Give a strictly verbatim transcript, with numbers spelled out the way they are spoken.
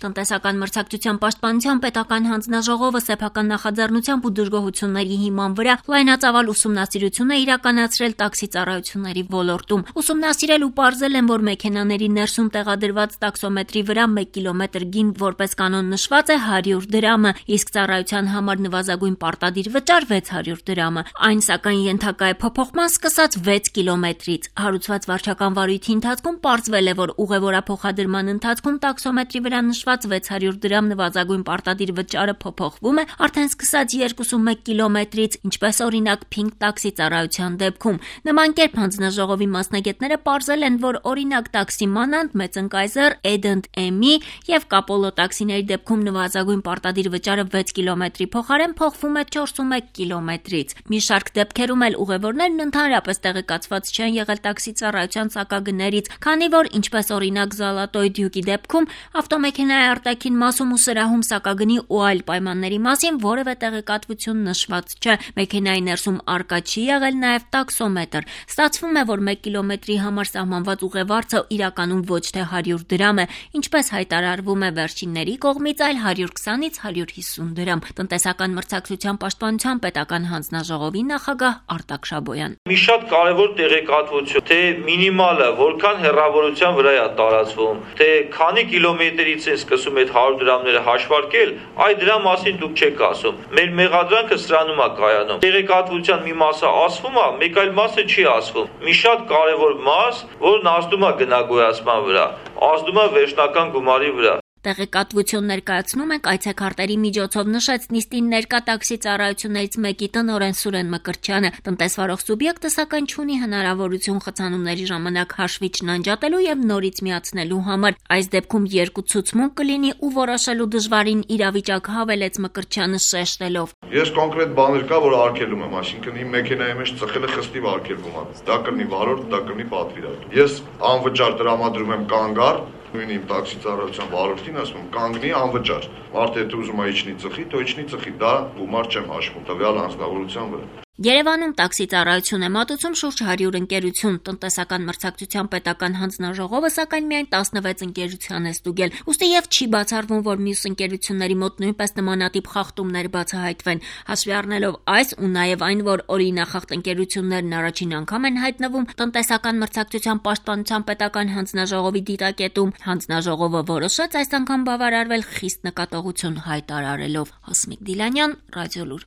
Տնտեսական մրցակցության պաշտպանության պետական հանձնաժողովը սեփական նախաձեռնությամբ ու դժգոհությունների հիման վրա լայնածավալ ուսումնասիրություն է իրականացրել տաքսի ծառայությունների ոլորտում։ Ուսումնասիրել ու պարզել են, որ մեքենաների ներսում տեղադրված տաքսոմետրի վրա մեկ կիլոմետր գին որպես կանոն նշված է հարյուր դրամը, իսկ ծառայության համար նվազագույն պարտադիր վճար վեց հարյուր դրամը։ Այն սակայն ենթակա է փոփոխման սկսած վեց կիլոմետրից։ Հարուցված վարչական վարույթի ընթացքում պարզվել է, որ ուղևորափոխադրման ընթացքում տաքսոմետրի վրա նշված վեց հարյուր դրամ նվազագույն պարտադիր վճարը փոփոխվում է արդեն սկսած երկուսունմեկ կիլոմետրից, ինչպես օրինակ Pink տաքսի ծառայության դեպքում։ Նման կերպ հանձնաժողովի մասնագետները պարզել են, որ օրինակ տաքսի Մանանտ, Մեծընկայզեռ, Edent Emi եւ Կապոլո տաքսիների դեպքում նվազագույն պարտադիր վճարը վեց կիլոմետրի փոխարեն փոխվում է չորսունմեկ կիլոմետրից։ Մի շարք դեպքերում էլ ուղևորներն ընդհանրապես տեղեկացված չեն եղել տաքսի ծառայության սակագներից, քանի որ ինչպես օրինակ Զալատոյ Դյուկի դեպքում ավտոմեքենայի արտաքին մասում ու սրահում սակագնի ու այլ պայմանների մասին որևէ տեղեկատվություն նշված չէ։ Մեքենայի ներսում արկա չի եղել նաև տաքսոմետր։ Ստացվում է, որ մեկ կիլոմետրի համար սահմանված ուղևորը իրականում ոչ թե հարյուր դրամ է, ինչպես հայտարարվում է վերջինների կողմից, այլ հարյուր քսանից հարյուր հիսուն դրամ։ Տնտեսական մրցակցության պաշտպանության պետական հանձնաժողովի նախագահ Արտակ Շաբոյան։ Մի շատ կարևոր տեղեկատվություն, թե մինիմալը որքան հեռավորության վրա է տարածվում, թե քանի կիլոմետրից են սկսում այդ հարյուր դրամները հաշվարկել, այդ դրա մասին դուք չեք ասում։ Մեր մեղադրանքը սրանում է կայանում։ Տեղեկատվության մի մասը ասվում է, մեկ այլ մասը չի ասվում։ Մի շատ կարևոր մաս, որն ազդում է գնագոյացման վրա, ազդում է վերջնական գումարի վրա։ Տեղեկատվություն ներկայացնում ենք այցեքարտերի միջոցով նշեց նիստին ներկա տաքսի ծառայություններից մեկի տնօրեն Սուրեն Մկրտչյանը։ Տնտեսվարող սուբյեկտը սակայն չունի հնարավորություն խցանումների ժամանակ հաշվիչն անջատելու եւ նորից միացնելու համար։ Այս դեպքում երկու ցուցմունք կլինի ու որոշելու դժվարին իրավիճակ հավելեց Մկրտչյանը շեշտելով։ Ես կոնկրետ բաներ կա, որ արգելում եմ, այսինքն իմ մեքենայի մեջ ծխելը խստիվ արգելվում է։ Դա կլինի վարորդ, դա կլինի պատվիրատու։ Ես անվճար տրամադրում եմ կանգար նույն իմ տաքսի ծառայության վարորդին ասում եմ կանգնի անվճար։ Մարդը եթե ուզում է իջնի ծխի, то իջնի ծխի, դա գումար չեմ հաշվում տվյալ անձնավորության վրա։ Երևանում տաքսի ծառայություն է մատուցում շուրջ հարյուր ընկերություն։ Տնտեսական մրցակցության պետական հանձնաժողովը սակայն միայն տասնվեց ընկերության է ստուգել։ Ուստի եւ չի բացառվում, որ մյուս ընկերությունների մոտ նույնպես նմանատիպ խախտումներ բացահայտվեն։ Հաշվի առնելով այս ու նաեւ այն, որ օրինախախտ ընկերություններն առաջին անգամ են հայտնվում տնտեսական մրցակցության պաշտպանության պետական հանձնաժողովի դիտակետում, հանձնաժողովը որոշեց այս անգամ բավարարվել խիստ նկատողություն հայտարարելով։ Հասմիկ Դիլանյան, Ռադիոլուր։